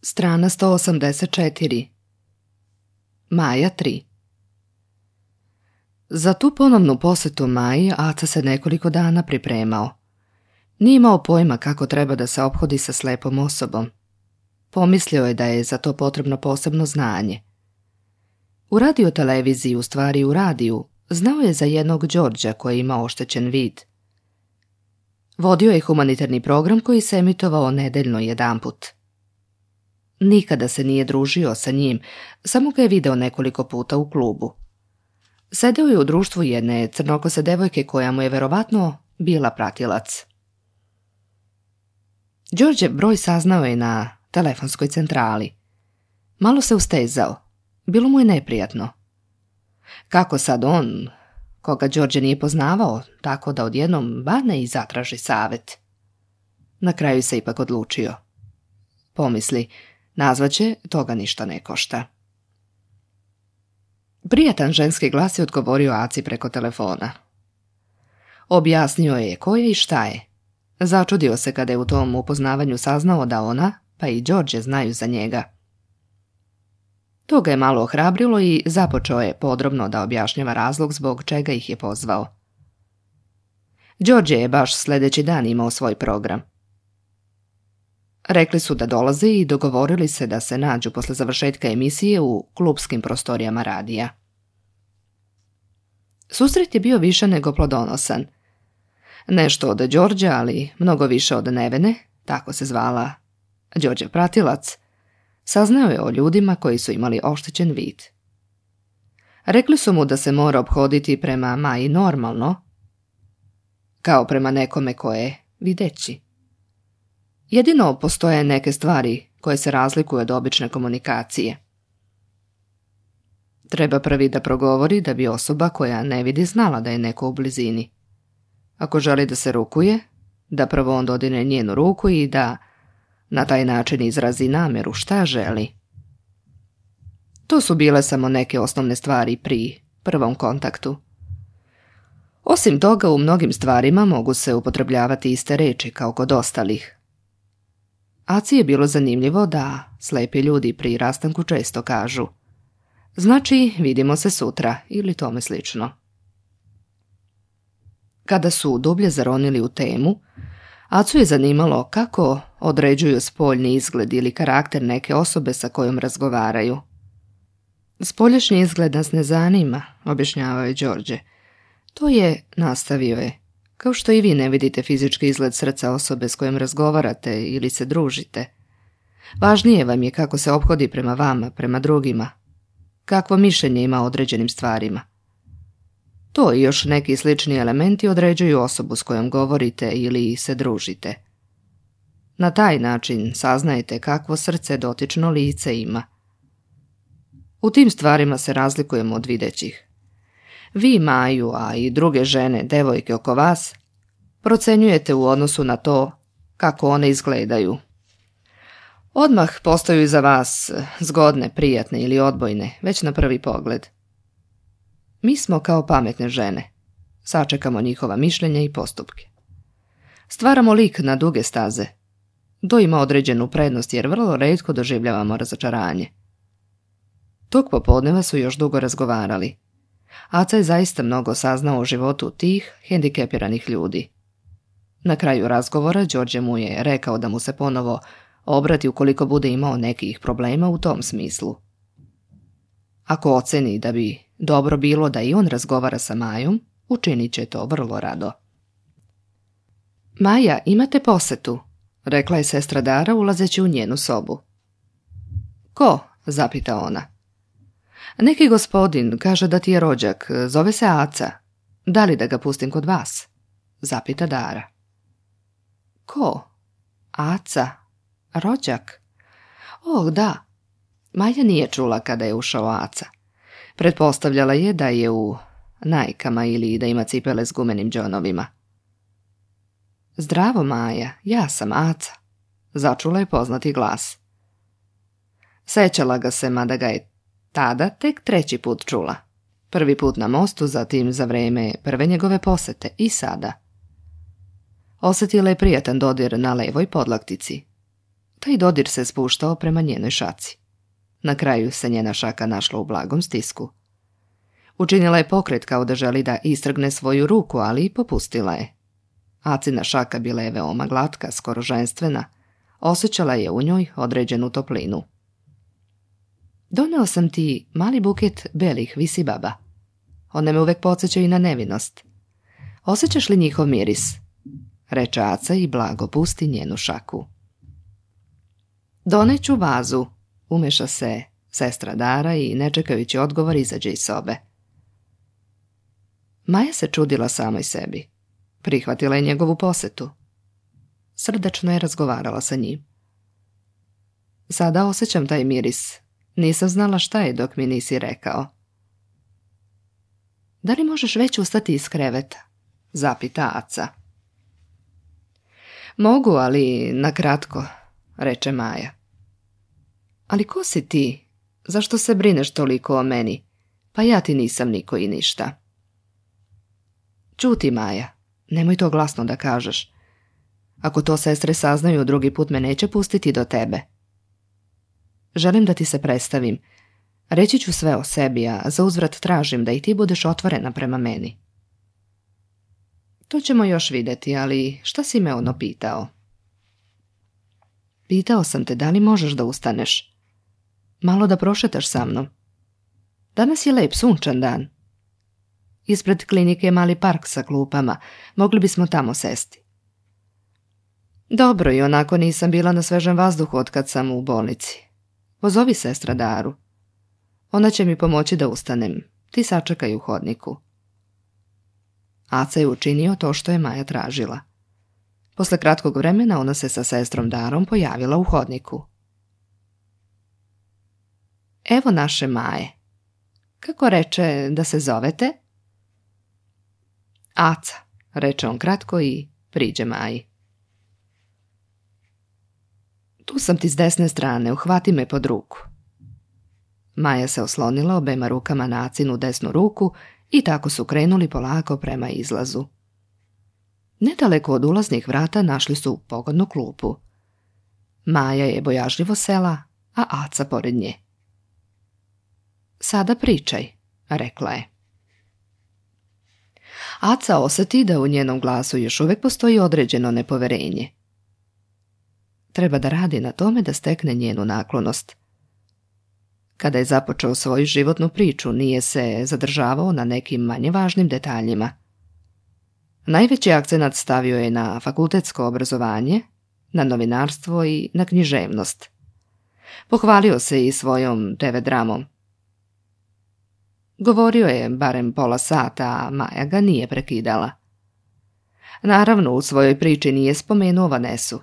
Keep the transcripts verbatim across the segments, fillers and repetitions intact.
Strana sto osamdeset četiri. Maja tri. Za tu ponovnu posetu Maji Aca se nekoliko dana pripremao. Nije imao pojma kako treba da se ophodi sa slepom osobom. Pomislio je da je za to potrebno posebno znanje. U radioteleviziji, u stvari u radiju, znao je za jednog Đorđa koji ima oštećen vid. Vodio je humanitarni program koji se emitovao nedeljno jedanput. Nikada se nije družio sa njim, samo ga je video nekoliko puta u klubu. Sedeo je u društvu jedne crnokose devojke koja mu je verovatno bila pratilac. Đorđev broj saznao je na telefonskoj centrali. Malo se ustezao. Bilo mu je neprijatno. Kako sad on, koga Đorđe nije poznavao, tako da odjednom badne i zatraži savet? Na kraju se ipak odlučio. Pomisli, nazvaće, toga ništa ne košta. Prijatan ženski glas je odgovorio Aci preko telefona. Objasnio je ko je i šta je. Začudio se kada je u tom upoznavanju saznao da ona, pa i Đorđe znaju za njega. To ga je malo ohrabrilo i započeo je podrobno da objašnjava razlog zbog čega ih je pozvao. Đorđe je baš sljedeći dan imao svoj program. Rekli su da dolaze i dogovorili se da se nađu posle završetka emisije u klupskim prostorijama radija. Susret je bio više nego plodonosan. Nešto od Đorđa, ali mnogo više od Nevene, tako se zvala Đorđev pratilac, saznao je o ljudima koji su imali oštećen vid. Rekli su mu da se mora ophoditi prema Maji normalno, kao prema nekome ko je videći. Jedino postoje neke stvari koje se razlikuju od obične komunikacije. Treba prvi da progovori da bi osoba koja ne vidi znala da je neko u blizini. Ako želi da se rukuje, da prvo on dodine njenu ruku i da na taj način izrazi namjeru šta želi. To su bile samo neke osnovne stvari pri prvom kontaktu. Osim toga, u mnogim stvarima mogu se upotrebljavati iste reči kao kod ostalih. Aci je bilo zanimljivo da slepi ljudi pri rastanku često kažu: znači, vidimo se sutra ili tome slično. Kada su dublje zaronili u temu, Acu je zanimalo kako određuju spoljni izgled ili karakter neke osobe sa kojom razgovaraju. Spoljašnji izgled nas ne zanima, objašnjavao je Đorđe. To je, nastavio je, kao što i vi ne vidite fizički izgled srca osobe s kojom razgovarate ili se družite. Važnije vam je kako se ophodi prema vama, prema drugima, kakvo mišljenje ima o određenim stvarima. To i još neki slični elementi određuju osobu s kojom govorite ili se družite. Na taj način saznajete kakvo srce dotično lice ima. U tim stvarima se razlikujemo od videćih. Vi Maju, a i druge žene, devojke oko vas, procenjujete u odnosu na to kako one izgledaju. Odmah postaju za vas zgodne, prijatne ili odbojne, već na prvi pogled. Mi smo kao pametne žene. Sačekamo njihova mišljenja i postupke. Stvaramo lik na duge staze. To ima određenu prednost jer vrlo retko doživljavamo razočaranje. Tog popodneva su još dugo razgovarali. Aca je zaista mnogo saznao o životu tih hendikepiranih ljudi. Na kraju razgovora Đorđe mu je rekao da mu se ponovo obrati ukoliko bude imao nekih problema u tom smislu. Ako oceni da bi dobro bilo da i on razgovara sa Majom, učinit će to vrlo rado. Maja, imate posetu, rekla je sestra Dara ulazeći u njenu sobu. Ko? Zapita ona. Neki gospodin kaže da ti je rođak, zove se Aca. Da li da ga pustim kod vas? Zapita Dara. Ko? Aca? Rođak? Oh, da. Maja nije čula kada je ušao Aca. Pretpostavljala je da je u najkama ili da ima cipele s gumenim džonovima. Zdravo, Maja, ja sam Aca, začula je poznati glas. Sećala ga se, mada ga je tada tek treći put čula. Prvi put na mostu, zatim za vreme prve njegove posete i sada. Osjetila je prijatan dodir na levoj podlaktici. Taj dodir se spuštao prema njenoj šaci. Na kraju se njena šaka našla u blagom stisku. Učinila je pokret kao da želi da istrgne svoju ruku, ali i popustila je. Acina šaka bila je veoma glatka, skoro ženstvena. Osjećala je u njoj određenu toplinu. Doneo sam ti mali buket belih visibaba. One me uvek podsjećaju na nevinost. Osjećaš li njihov miris? Reče Aca i blago pusti njenu šaku. Doneću vazu, umeša se sestra Dara i ne čekajući odgovor izađe iz sobe. Maja se čudila samoj sebi. Prihvatila je njegovu posetu. Srdačno je razgovarala sa njim. Sada osjećam taj miris. Nisam znala šta je dok mi nisi rekao. Da li možeš već ustati iz kreveta? Zapita Aca. Mogu, ali nakratko, reče Maja. Ali ko si ti? Zašto se brineš toliko o meni? Pa ja ti nisam niko i ništa. Ćuti, Maja, nemoj to glasno da kažeš. Ako to sestre saznaju, drugi put me neće pustiti do tebe. Želim da ti se predstavim. Reći ću sve o sebi, a za uzvrat tražim da i ti budeš otvorena prema meni. To ćemo još vidjeti, ali šta si me ono pitao? Pitao sam te da li možeš da ustaneš. Malo da prošetaš sa mnom. Danas je lep sunčan dan. Ispred klinike je mali park sa klupama. Mogli bismo tamo sesti. Dobro, i onako nisam bila na svežem vazduhu otkad sam u bolnici. Pozovi sestra Daru. Ona će mi pomoći da ustanem. Ti sačekaj u hodniku. Aca je učinio to što je Maja tražila. Posle kratkog vremena ona se sa sestrom Darom pojavila u hodniku. Evo naše Maje. Kako reče da se zovete? Aca, reče on kratko i priđe Maji. Tu sam ti s desne strane, uhvati me pod ruku. Maja se oslonila obema rukama na Acinu desnu ruku i tako su krenuli polako prema izlazu. Nedaleko od ulaznih vrata našli su pogodnu klupu. Maja je bojažljivo sela, a Aca pored nje. Sada pričaj, rekla je. Aca osjeti da u njenom glasu još uvijek postoji određeno nepoverenje. Treba da radi na tome da stekne njenu naklonost. Kada je započeo svoju životnu priču, nije se zadržavao na nekim manje važnim detaljima. Najveći akcenat stavio je na fakultetsko obrazovanje, na novinarstvo i na književnost. Pohvalio se i svojom te ve dramom. Govorio je barem pola sata, a Maja ga nije prekidala. Naravno, u svojoj priči nije spomenuo Vanesu.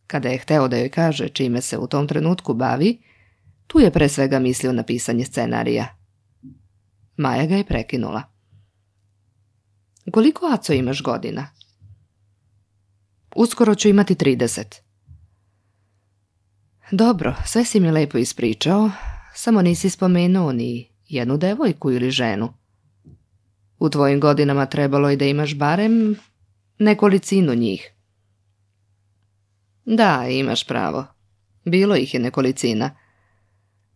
Kada je hteo da joj kaže čime se u tom trenutku bavi, tu je pre svega mislio na pisanje scenarija. Maja ga je prekinula. Koliko, Aco, imaš godina? Uskoro ću imati trideset. Dobro, sve si mi lepo ispričao, samo nisi spomenuo ni jednu devojku ili ženu. U tvojim godinama trebalo je da imaš barem nekolicinu njih. Da, imaš pravo. Bilo ih je nekolicina.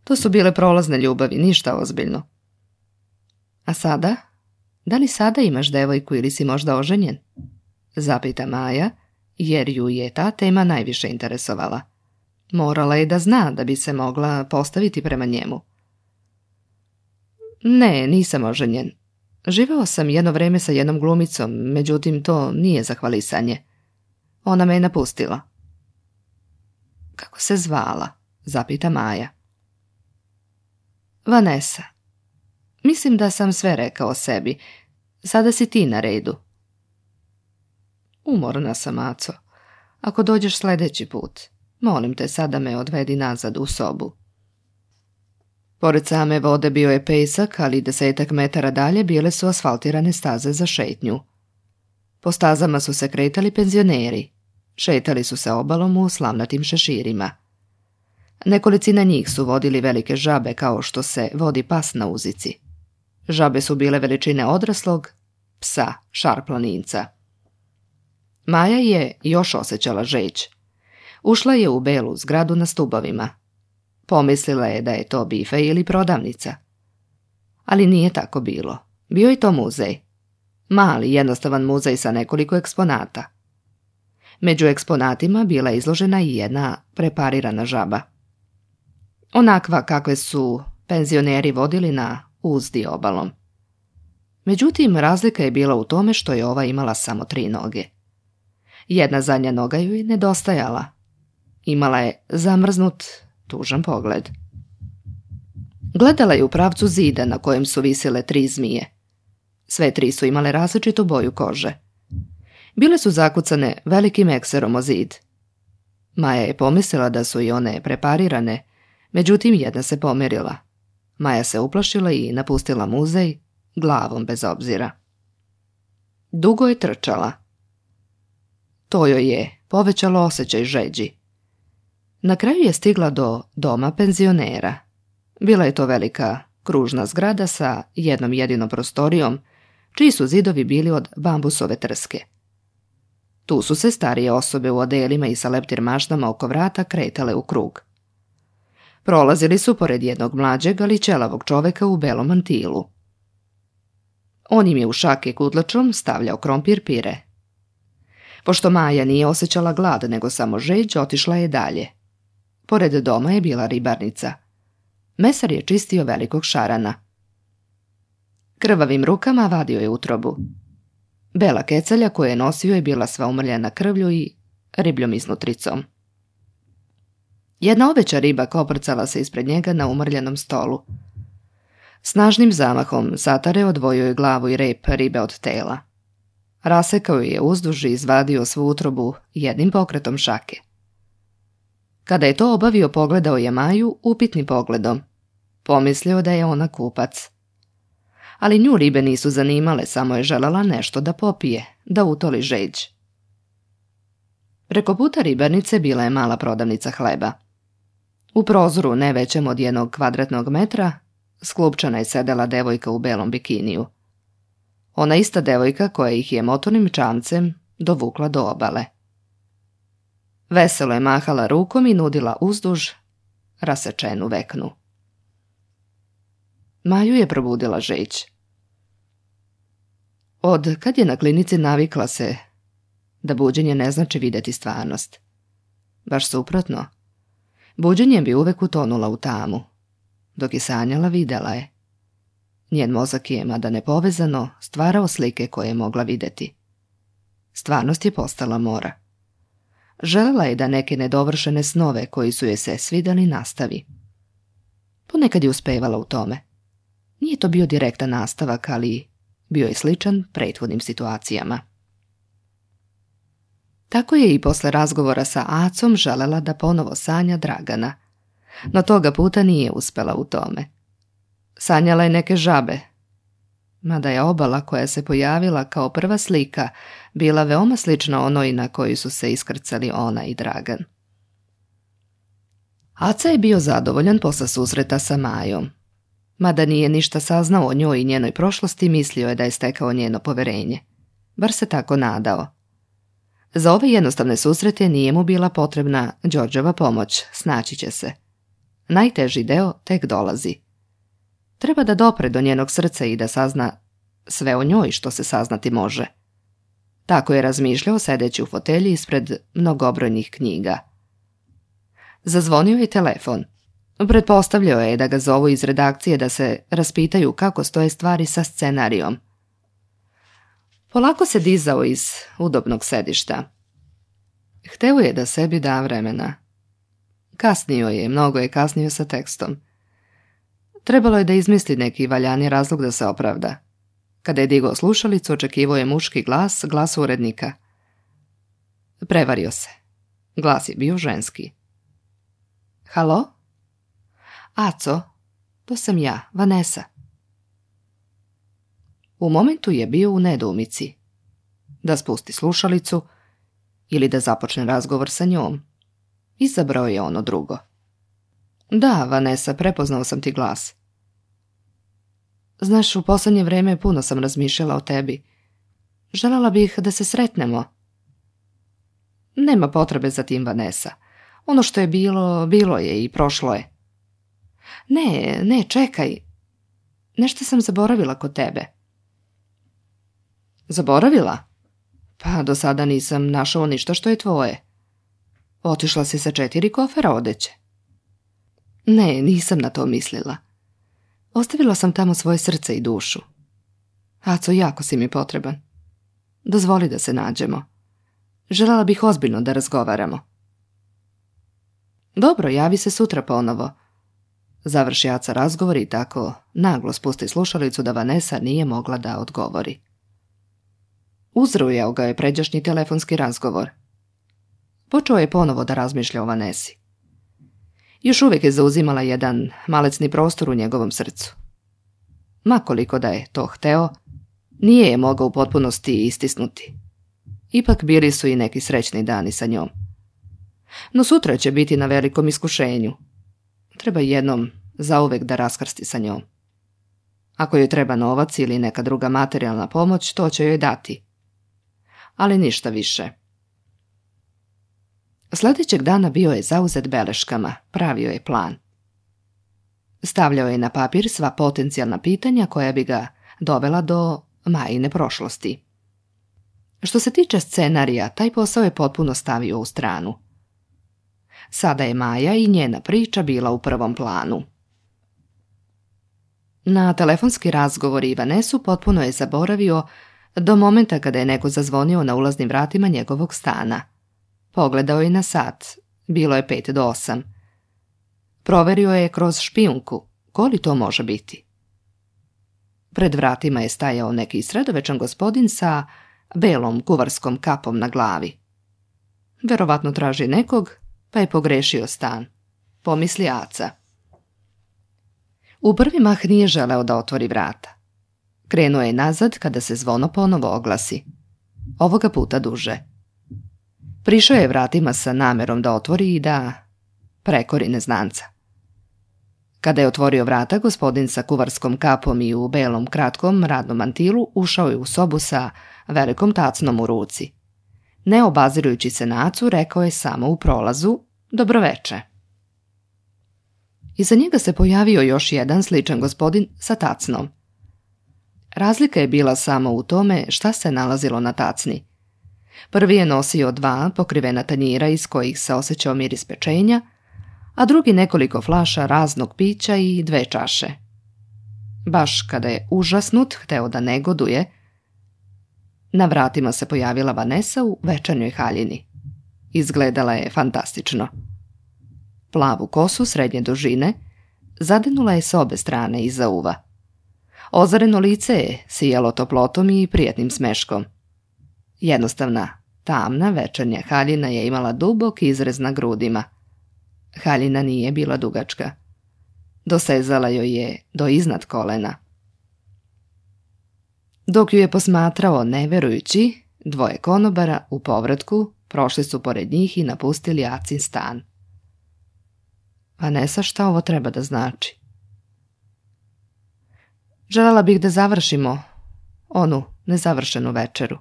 To su bile prolazne ljubavi, ništa ozbiljno. A sada? Da li sada imaš devojku ili si možda oženjen? Zapita Maja, jer ju je ta tema najviše interesovala. Morala je da zna da bi se mogla postaviti prema njemu. Ne, nisam oženjen. Živeo sam jedno vreme sa jednom glumicom, međutim to nije za hvalisanje. Ona me je napustila. Kako se zvala? Zapita Maja. Vanesa. Mislim da sam sve rekao o sebi. Sada si ti na redu. Umorna sam, Aco. Ako dođeš sljedeći put, molim te sada me odvedi nazad u sobu. Pored same vode bio je pesak, ali desetak metara dalje bile su asfaltirane staze za šetnju. Po stazama su se kretali penzioneri. Šetali su se obalom u slavnatim šeširima. Nekolicina njih su vodili velike žabe kao što se vodi pas na uzici. Žabe su bile veličine odraslog psa, šarplaninca. Maja je još osjećala žeć. Ušla je u belu zgradu na stubovima. Pomislila je da je to bife ili prodavnica. Ali nije tako bilo. Bio je to muzej. Mali, jednostavan muzej sa nekoliko eksponata. Među eksponatima bila je izložena i jedna preparirana žaba. Onakva kakve su penzioneri vodili na uzdi obalom. Međutim, razlika je bila u tome što je ova imala samo tri noge. Jedna zadnja noga ju je nedostajala. Imala je zamrznut, tužan pogled. Gledala je u pravcu zida na kojem su visile tri zmije. Sve tri su imale različitu boju kože. Bile su zakucane velikim ekserom o zid. Maja je pomislila da su i one preparirane, međutim jedna se pomerila. Maja se uplašila i napustila muzej, glavom bez obzira. Dugo je trčala. To joj je povećalo osjećaj žeđi. Na kraju je stigla do doma penzionera. Bila je to velika kružna zgrada sa jednom jedinom prostorijom, čiji su zidovi bili od bambusove trske. Tu su se starije osobe u odelima i sa leptir mašnama oko vrata kretale u krug. Prolazili su pored jednog mlađeg, ali ćelavog čoveka u belom mantilu. On im je u šake kutlačom stavljao krompir pire. Pošto Maja nije osjećala glad, nego samo žeđ, otišla je dalje. Pored doma je bila ribarnica. Mesar je čistio velikog šarana. Krvavim rukama vadio je utrobu. Bela kecalja koju je nosio je bila sva umrljena krvlju i ribljom iznutricom. Jedna oveća riba koprcala se ispred njega na umrljenom stolu. Snažnim zamahom satare odvojio je glavu i rep ribe od tela. Rasekao je uzduž i izvadio svu utrobu jednim pokretom šake. Kada je to obavio, pogledao je Maju upitnim pogledom. Pomislio da je ona kupac. Ali nju ribe nisu zanimale, samo je želela nešto da popije, da utoli žeđ. Preko puta ribarnice bila je mala prodavnica hleba. U prozoru, ne većem od jednog kvadratnog metra, sklupčana je sedela devojka u belom bikiniju. Ona ista devojka koja ih je motornim čamcem dovukla do obale. Veselo je mahala rukom i nudila uzduž rasečenu veknu. Maju je probudila žeđ. Od kad je na klinici navikla se da buđenje ne znači vidjeti stvarnost. Baš suprotno. Buđenjem bi uvek utonula u tamu. Dok je sanjala, videla je. Njen mozak je, mada nepovezano, stvarao slike koje je mogla vidjeti. Stvarnost je postala mora. Želela je da neke nedovršene snove koji su je se svidjeli nastavi. Ponekad je uspevala u tome. Nije to bio direktan nastavak, ali bio je sličan prethodnim situacijama. Tako je i posle razgovora sa Acom želela da ponovo sanja Dragana, no toga puta nije uspela u tome. Sanjala je neke žabe, mada je obala koja se pojavila kao prva slika bila veoma slična onoj na kojoj su se iskrcali ona i Dragan. Aca je bio zadovoljan posle susreta sa Majom. Mada nije ništa saznao o njoj i njenoj prošlosti, mislio je da je stekao njeno poverenje. Bar se tako nadao. Za ove jednostavne susrete nije mu bila potrebna Đorđeva pomoć, snaći će se. Najteži deo tek dolazi. Treba da dopre do njenog srca i da sazna sve o njoj što se saznati može. Tako je razmišljao sedeći u fotelji ispred mnogobrojnih knjiga. Zazvonio je telefon. Pretpostavljao je da ga zovu iz redakcije da se raspitaju kako stoje stvari sa scenarijom. Polako se dizao iz udobnog sedišta. Hteo je da sebi da vremena. Kasnio je, mnogo je kasnio sa tekstom. Trebalo je da izmisli neki valjani razlog da se opravda. Kada je digao slušalicu, očekivao je muški glas, glas urednika. Prevario se. Glas je bio ženski. Halo? Aco, to sam ja, Vanesa. U momentu je bio u nedoumici. Da spusti slušalicu ili da započne razgovor sa njom. Izabrao je ono drugo. Da, Vanesa, prepoznao sam ti glas. Znaš, u posljednje vreme puno sam razmišljala o tebi. Željela bih da se sretnemo. Nema potrebe za tim, Vanesa. Ono što je bilo, bilo je i prošlo je. Ne, ne, čekaj. Nešto sam zaboravila kod tebe. Zaboravila? Pa do sada nisam našao ništa što je tvoje. Otišla si sa četiri kofera odeće. Ne, nisam na to mislila. Ostavila sam tamo svoje srce i dušu. Aco, jako si mi potreban. Dozvoli da se nađemo. Željela bih ozbiljno da razgovaramo. Dobro, javi se sutra ponovo. Završi Aca razgovor i tako naglo spusti slušalicu da Vanessa nije mogla da odgovori. Uzrujao ga je pređašnji telefonski razgovor. Počeo je ponovo da razmišlja o Vanessi. Još uvijek je zauzimala jedan malecni prostor u njegovom srcu. Makoliko da je to hteo, nije je mogao u potpunosti istisnuti. Ipak bili su i neki srećni dani sa njom. No sutra će biti na velikom iskušenju. Treba jednom zauvek da raskrsti sa njom. Ako joj treba novac ili neka druga materijalna pomoć, to će joj dati. Ali ništa više. Sljedećeg dana bio je zauzet beleškama, pravio je plan. Stavljao je na papir sva potencijalna pitanja koja bi ga dovela do Majine prošlosti. Što se tiče scenarija, taj posao je potpuno stavio u stranu. Sada je Maja i njena priča bila u prvom planu. Na telefonski razgovor i Vanessu potpuno je zaboravio do momenta kada je neko zazvonio na ulaznim vratima njegovog stana. Pogledao je na sat, bilo je pet do osam. Proverio je kroz špijunku, ko li to može biti. Pred vratima je stajao neki sredovečan gospodin sa belom kuvarskom kapom na glavi. Verovatno traži nekog, pa je pogrešio stan, pomisli Aca. U prvi mah nije želeo da otvori vrata. Krenuo je nazad kada se zvono ponovo oglasi. Ovoga puta duže. Prišao je vratima sa namerom da otvori i da prekori neznanca. Kada je otvorio vrata, gospodin sa kuvarskom kapom i u belom kratkom radnom mantilu ušao je u sobu sa velikom tacnom u ruci. Ne obazirujući se na Acu, rekao je samo u prolazu: dobroveče. Iza njega se pojavio još jedan sličan gospodin sa tacnom. Razlika je bila samo u tome šta se nalazilo na tacni. Prvi je nosio dva pokrivena tanjira iz kojih se osjećao miris pečenja, a drugi nekoliko flaša raznog pića i dve čaše. Baš kada je užasnut hteo da negoduje, na vratima se pojavila Vanessa u večernjoj haljini. Izgledala je fantastično. Plavu kosu srednje dužine zadenula je s obe strane iza uva. Ozareno lice je sijalo toplotom i prijatnim smeškom. Jednostavna, tamna večernja haljina je imala dubok izrez na grudima. Haljina nije bila dugačka. Dosezala joj je do iznad kolena. Dok ju je posmatrao neverujući, dvoje konobara u povratku prošli su pored njih i napustili Acin stan. Vanessa, šta ovo treba da znači? Želela bih da završimo onu nezavršenu večeru,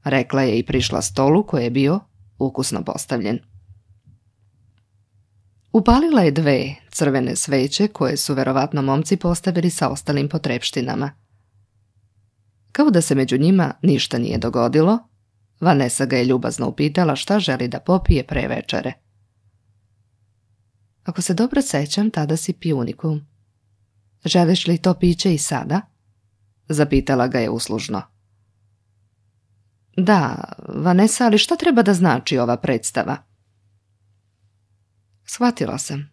rekla je i prišla stolu koji je bio ukusno postavljen. Upalila je dve crvene sveće koje su verovatno momci postavili sa ostalim potrepštinama. Kao da se među njima ništa nije dogodilo, Vanessa ga je ljubazno upitala šta želi da popije pre večere. Ako se dobro sećam, tada si pio unikum. Želiš li to piće i sada? Zapitala ga je uslužno. Da, Vanessa, ali šta treba da znači ova predstava? Shvatila sam.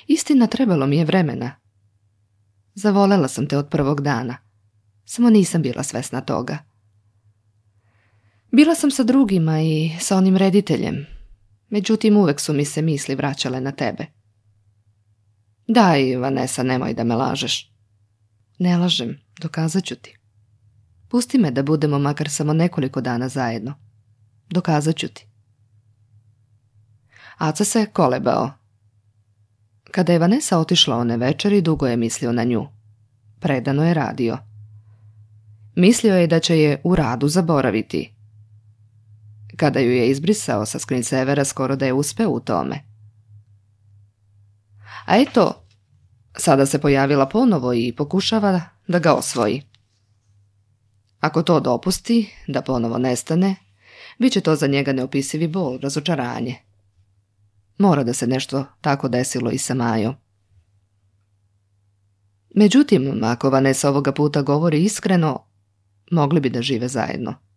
Istina, trebalo mi je vremena. Zavolela sam te od prvog dana. Samo nisam bila svesna toga. Bila sam sa drugima i sa onim rediteljem. Međutim, uvek su mi se misli vraćale na tebe. Daj, Vanessa, nemoj da me lažeš. Ne lažem, dokazat ću ti. Pusti me da budemo makar samo nekoliko dana zajedno. Dokazat ću ti. Aca se kolebao. Kada je Vanessa otišla one večeri, dugo je mislio na nju. Predano je radio. Mislio je da će je u radu zaboraviti. Kada ju je izbrisao sa screensavera, skoro da je uspeo u tome. A eto, sada se pojavila ponovo i pokušava da ga osvoji. Ako to dopusti, da ponovo nestane, bit će to za njega neopisivi bol, razočaranje. Mora da se nešto tako desilo i sa Majom. Međutim, ako Vanessa ovoga puta govori iskreno, mogli bi da žive zajedno.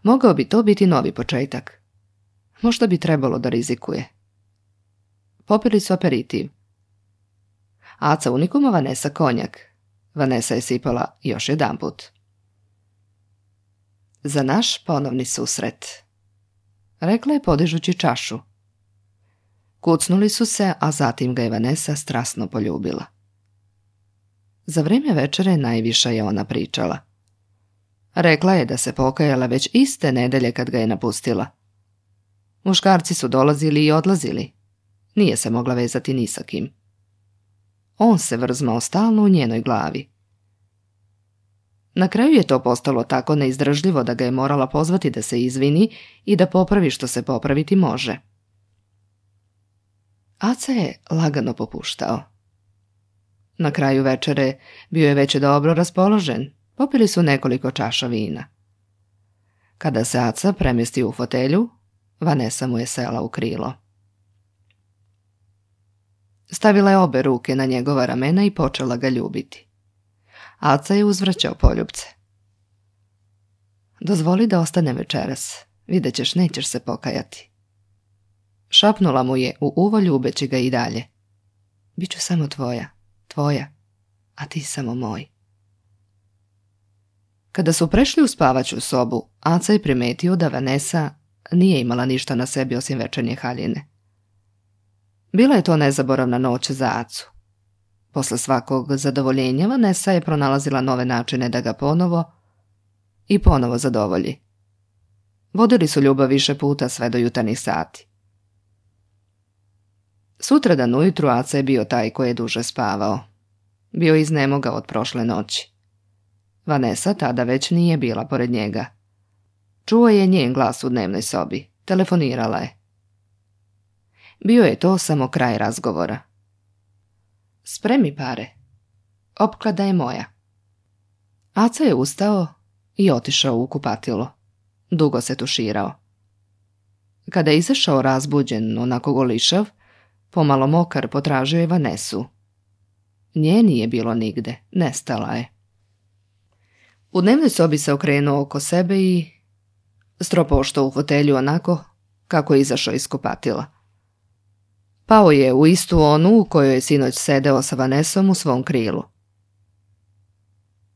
Mogao bi to biti novi početak. Možda bi trebalo da rizikuje. Popili su aperitiv. Aca unikuma, Vanessa konjak. Vanessa je sipala još jedanput. Za naš ponovni susret, rekla je podižući čašu. Kucnuli su se, a zatim ga je Vanessa strasno poljubila. Za vrijeme večere najviše je ona pričala. Rekla je da se pokajala već iste nedelje kad ga je napustila. Muškarci su dolazili i odlazili. Nije se mogla vezati ni sa kim. On se vrzmao stalno u njenoj glavi. Na kraju je to postalo tako neizdržljivo da ga je morala pozvati da se izvini i da popravi što se popraviti može. Aca je lagano popuštao. Na kraju večere bio je već dobro raspoložen, popili su nekoliko čaša vina. Kada se Aca premjestio u fotelju, Vanessa mu je sela u krilo. Stavila je obe ruke na njegova ramena i počela ga ljubiti. Aca je uzvraćao poljupce. Dozvoli da ostane večeras, vidjet ćeš, nećeš se pokajati. Šapnula mu je u uvo ljubeći ga i dalje. Biću samo tvoja, tvoja, a ti samo moj. Kada su prešli u spavaću sobu, Aca je primetio da Vanessa nije imala ništa na sebi osim večernje haljine. Bila je to nezaboravna noć za Acu. Posle svakog zadovoljenja Vanessa je pronalazila nove načine da ga ponovo i ponovo zadovolji. Vodili su ljubav više puta sve do jutarnjih sati. Sutradan ujutru Aca je bio taj koji je duže spavao. Bio je iznemogao od prošle noći. Vanessa tada već nije bila pored njega. Čuo je njen glas u dnevnoj sobi. Telefonirala je. Bio je to samo kraj razgovora. Spremi pare. Opklada je moja. Aca je ustao i otišao u kupatilo. Dugo se tuširao. Kada je izašao razbuđen, onako golišav, pomalo mokar, potražio je Vanessu. Nje nije bilo nigde, nestala je. U dnevnoj sobi se okrenuo oko sebe i stropoštao u fotelju onako kako je izašao iz kupatila. Pao je u istu onu u kojoj je sinoć sedeo sa Vanessom u svom krilu.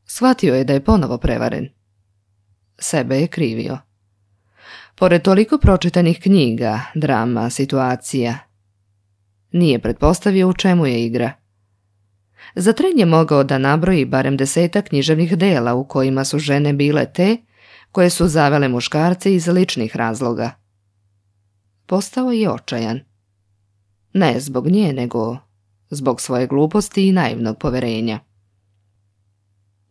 Shvatio je da je ponovo prevaren. Sebe je krivio. Pored toliko pročitanih knjiga, drama, situacija, nije pretpostavio u čemu je igra. Za tren je mogao da nabroji barem desetak književnih dela u kojima su žene bile te koje su zavele muškarce iz ličnih razloga. Postao je očajan. Ne zbog nje, nego zbog svoje gluposti i naivnog poverenja.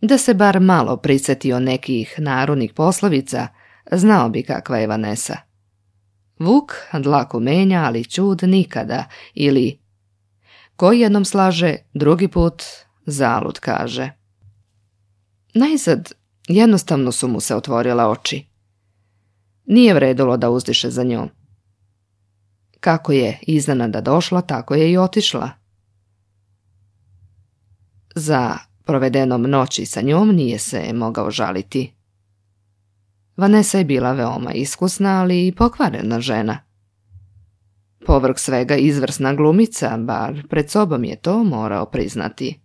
Da se bar malo prisjetio nekih narodnih poslovica, znao bi kakva je Vanessa. Vuk dlaku menja, ali ćud nikada, ili koji jednom slaže, drugi put zalud kaže. Najzad jednostavno su mu se otvorila oči. Nije vredilo da uzdiše za njom. Kako je iznenada došla, tako je i otišla. Za provedenom noći sa njom nije se mogao žaliti. Vanessa je bila veoma iskusna, ali i pokvarena žena. Povrh svega izvrsna glumica, bar pred sobom je to morao priznati.